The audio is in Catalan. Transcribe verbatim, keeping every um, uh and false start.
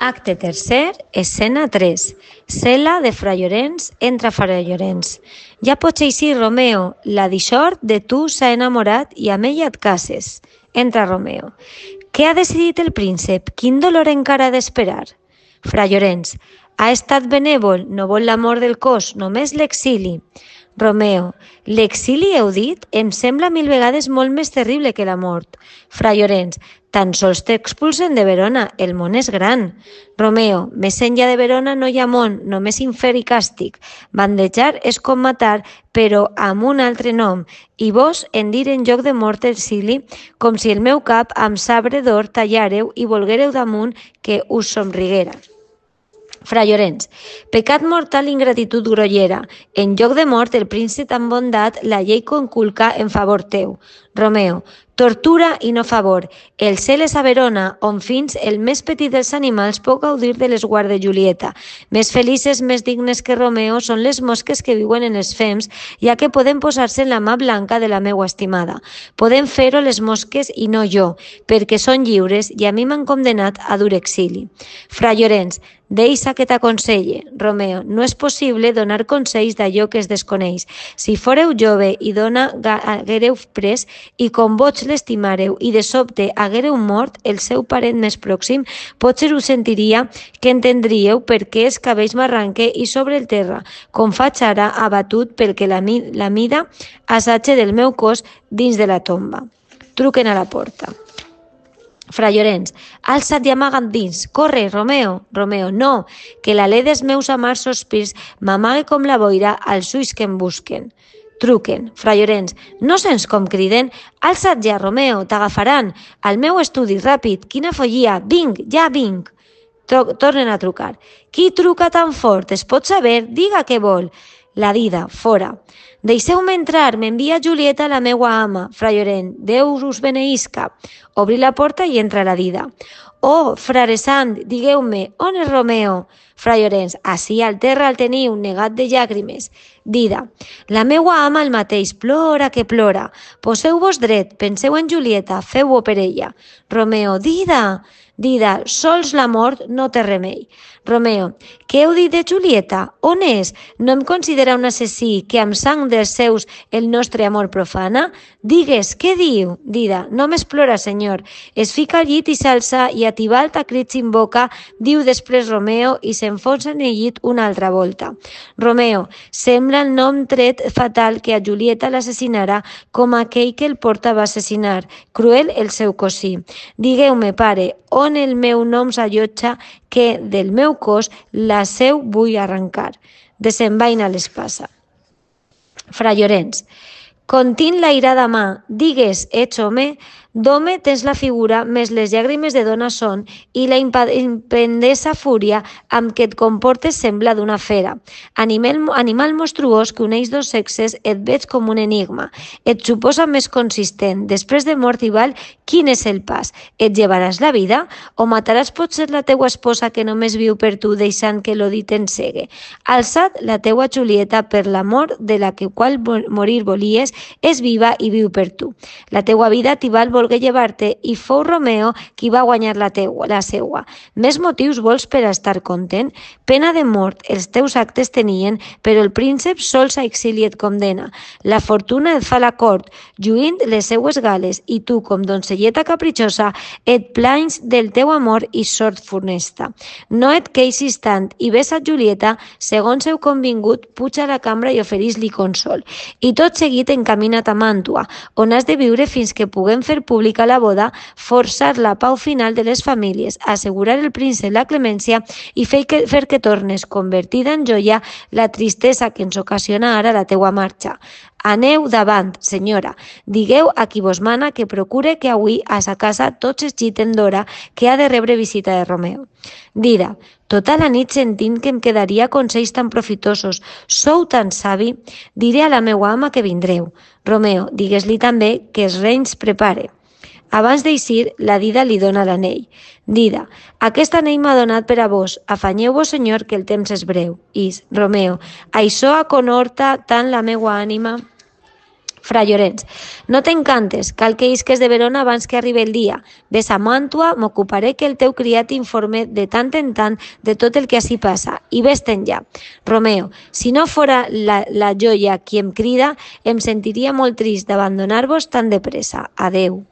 Acte tercer, escena tres. Cel·la de Fra Llorenç entra Fra Llorenç. Ja pots eixir, Romeo, la dixort de tu s'ha enamorat i amb ella et cases. Entra Romeo. Què ha decidit el príncep? Quin dolor encara ha d'esperar? Fra Llorenç. Ha estat benèvol, no vol l'amor del cos, només l'exili. Romeo. L'exili, heu dit? Em sembla mil vegades molt més terrible que la mort. Fra Llorenç. Tan sols t'expulsen de Verona, el món és gran. Romeo. Més enllà de Verona no hi ha món, només infern i càstig. Bandejar és com matar, però amb un altre nom. I vos en dir en lloc de mort exili, com si el meu cap amb sabre d'or tallàreu i volguéreu damunt que us somriguera. Fra Llorenç. Pecat mortal, ingratitud grollera. En lloc de mort, el príncep amb bondat la llei conculca en favor teu. Romeo. Tortura i no favor. El cel és a Verona, on fins el més petit dels animals pot gaudir de l'esguard de Julieta. Més felices, més dignes que Romeo són les mosques que viuen en els fems, ja que poden posar-se en la mà blanca de la meua estimada. Poden fer-ho les mosques i no jo, perquè són lliures i a mi m'han condemnat a dur exili. Fra Llorenç. Deixa que t'aconselle. Romeo. No és possible donar consells d'allò que es desconeix. Si foreu jove i dona haguereu pres i com vots l'estimareu i de sobte haguereu mort el seu parent més pròxim, potser ho sentiria que entendríeu per què els cabells m'arranque i sobre el terra, com faig ara abatut perquè la, la mida assatge del meu cos dins de la tomba. Truquen a la porta. Fra Llorenç. Alça't i amaga't dins. Corre, Romeo. Romeo. No, que l'alè dels meus amars sospirs m'amague com la boira als ulls que em busquen. Truquen. Fra Llorenç. No sents com criden? Alça't ja, Romeo, t'agafaran. Al meu estudi, ràpid. Quina follia. Vinc, ja vinc. Tornen a trucar. Qui truca tan fort? Es pot saber? Diga què vol. La dida, fora. Deixeu-me entrar, m'envia Julieta la meua ama. Fra Llorenç. Déu us beneïsca. Obri la porta i entra la dida. Oh, frare sant, digueu-me, on és Romeo? Fra Llorenç. Ací al terra el teniu, negat de llàgrimes. Dida. La meua ama el mateix, plora que plora. Poseu-vos dret, penseu en Julieta, feu-ho per ella. Romeo. Dida. Dida. Sols la mort no té remei. Romeo. Què heu dit de Julieta? On és? No em considera un assassí que amb sang dels seus el nostre amor profana? Digues, què diu? Dida. Només plora, senyor. Es fica al llit i s'alça i a tibalt a crits invoca, diu després Romeo i s'enfonsa en el llit una altra volta. Romeo. Sembla el nom tret fatal que a Julieta l'assassinarà com aquell que el porta va assassinar. Cruel el seu cosí. Digueu-me, pare, on el meu nom s'allotja que del meu cos la seu vull arrencar. Desenvaina l'espasa. Fra Llorenç. Contint la irada mà, digues, ets home, d'home tens la figura, més les llàgrimes de dona són, i la impendesa fúria amb què et comportes sembla d'una fera. Animal, animal monstruós que uneix dos sexes, et veig com un enigma. Et suposa més consistent. Després de mort i val, quin és el pas? Et llevaràs la vida? O mataràs potser la teua esposa que només viu per tu, deixant que l'odi t'ensegue? Alça't la teua Julieta per l'amor de la que qual morir volies, és viva i viu per tu. La teua vida t'hi val volgué llevar-te i fou Romeo qui va guanyar la, teua, la seua. Més motius vols per a estar content? Pena de mort els teus actes tenien, però el príncep sols a exili et condena. La fortuna et fa la cort, lluint les seues gales, i tu, com doncelleta capritxosa, et planys del teu amor i sort funesta. No et queixis tant i ves a Julieta, segons heu convingut, puja a la cambra i oferís-li consol. I tot seguit encamina't a Màntua, on has de viure fins que puguem fer pública la boda, forçar la pau final de les famílies, assegurar el príncep la clemència i fer que, fer que tornes, convertida en joia, la tristesa que ens ocasiona ara la teua marxa. Aneu davant, senyora. Digueu a qui vos mana que procure que avui a sa casa tots es giten d'hora que ha de rebre visita de Romeo. Dida. Tota la nit sentint que em quedaria consells tan profitosos. Sou tan savi? Diré a la meua ama que vindreu. Romeo. Digues-li també que els renys prepare. Abans d'eixir, la dida li dona l'anell. Dida. Aquest anell m'ha donat per a vos. Afanyeu-vos, senyor, que el temps és breu. Is. Romeo. Això aconhorta tant la meua ànima. Fra Llorenç, no t'encantes, cal que isques de Verona abans que arribi el dia. Ves a Màntua, m'ocuparé que el teu criat informe de tant en tant de tot el que ací passa, i ves-te'n ja. Romeo, si no fora la, la joia qui em crida, em sentiria molt trist d'abandonar-vos tan de pressa. Adeu.